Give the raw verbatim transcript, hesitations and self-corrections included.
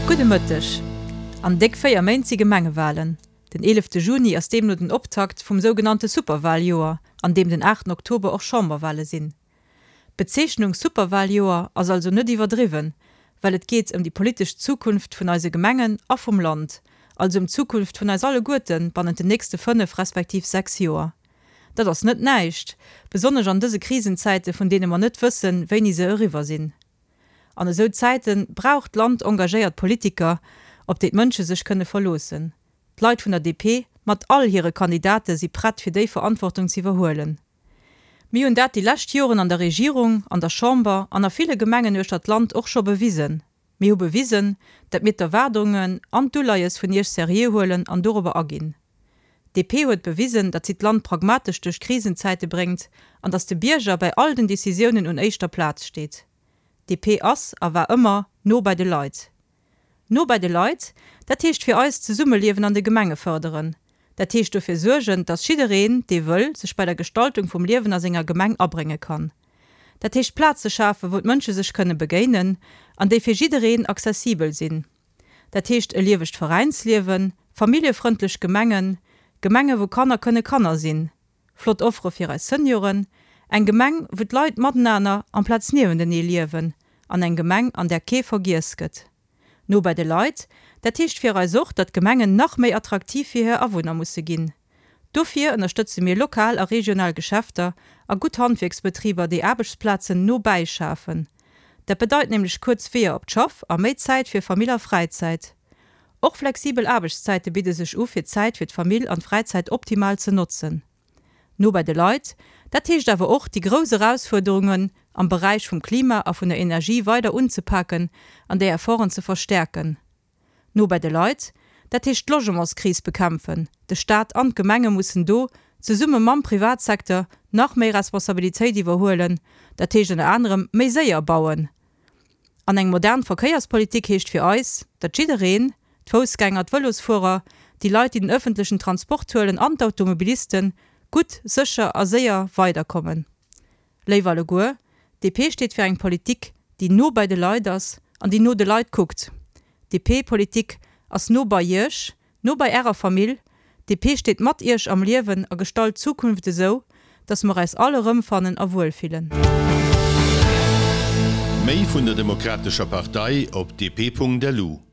Gudde Mëtteg. An déck véier Méint si Gemengewalen. Den eelefte Juni ass deemno den Optakt vum sougenannte Superwaljoer, an deem den aachten Oktober och Chamberwale sinn. D'Bezeechnung Superwaljoer ass also net iwwerdriwwen, well et geet ëm déi politesch Zukunft vun eise Gemengen a vum Land, also ëm d'Zukunft vun eis alleguerte bannent den nächste fënnef respektiv sechs Joer. Dat ass net näischt, besonnesch an dëse Krisenzäite vun deene mer net wëssen, wéini se eriwwer sinn. An esou Zäite brauch d'Land engagéiert Politiker, op déi d'Mënsche sech kënne verloossen. D'Leit vun der D P mat all hire Kandidate si prett fir déi Verantwortung z'iwwerhuelen. Mir hunn dat déi lescht Joren an der Regierung, an der Chamber an a ville Gemengen uechter d'Land och scho bewisen. Mir hu bewisen, datt mir d'Erwaardungen an d'Uleies vun Iech seriö huelen an dorobber aginn. D P huet bewisen, datt si d'Land pragmatesch duerch Krisenzäite bréngt an datt de Bierger bei all den Decisiounen un éischter Plaz steet. D P ass a war ëmmer no bei de Leit. No bei de Leit, dat heescht fir eis d'Zesummeliewen an de Gemenge fërderen. Dat heescht dofir suergen, datt jiddereen, dee wëll, sech bei der Gestaltung vum Liewen a senger Gemeng abrénge kann. Dat heescht Plaze schafen, wou d'Mënsche sech kënne begéinen an déi fir jiddereen accessibel sinn. Dat heescht e liewegt Veräinsliewen, familljefrëndlech Gemengen, Gemenge wou Kanner kënne Kanner sinn, flott Offere fir eis Senioren, eng Gemeng, wou d'Leit matenaner amplaz niewentenee liewen an eng Gemeng, an där kee vergiess gëtt. No bei de Leit, dat heescht fir eis och, datt d'Gemengen nach méi attraktiv fir hir Awunner musse ginn. Dofir ënnerstëtze mir lokal a regional Geschäfter a gutt Handwierksbetriber, déi Aarbechtsplazen no bäi schafen. Dat bedeit nämlech kuerz Weeër op d'Schaff a méi Zäit fir Famill a Fräizäit. Och flexibel Aarbechtszäite bidde sech u fir d'Zäit fir d'Famill an d'Fräizäit optimal ze notzen. No bei de Leit, dat heescht awer och déi grouss Erausfuerderungen am Beräich vum Klima a vun der Energie weider unzepaken an déi Efforten ze verstäerken. No bei de Leit, dat heescht d'Logementskris bekämpfen. De Staat an d'Gemenge mussen do, zesumme mam Privatsecteur, nach méi Responsabilitéit iwwerhuelen, dat heescht ënner anerem méi séier bauen. An eng modern Verkéierspolitik heescht fir eis, datt jiddereen, d'Foussgänger, d'Vëlosfuerer, déi Leit, déi den ëffentlechen Transport huelen an d'Automobilisten, gutt, sécher a séier weiderkommen. Léif alleguer, D P steet fir eng Politik, déi no bei de Leit ass an déi no de Leit kuckt. D P-Politik ass no bei Iech, no bei Ärer Famill. D P steet mat Iech am Liewen a gestalt d'Zukunft esou, datt mer eis all erëmfannen a wuelfillen. Méi vun der Demokratescher Partei op D P Punkt L U.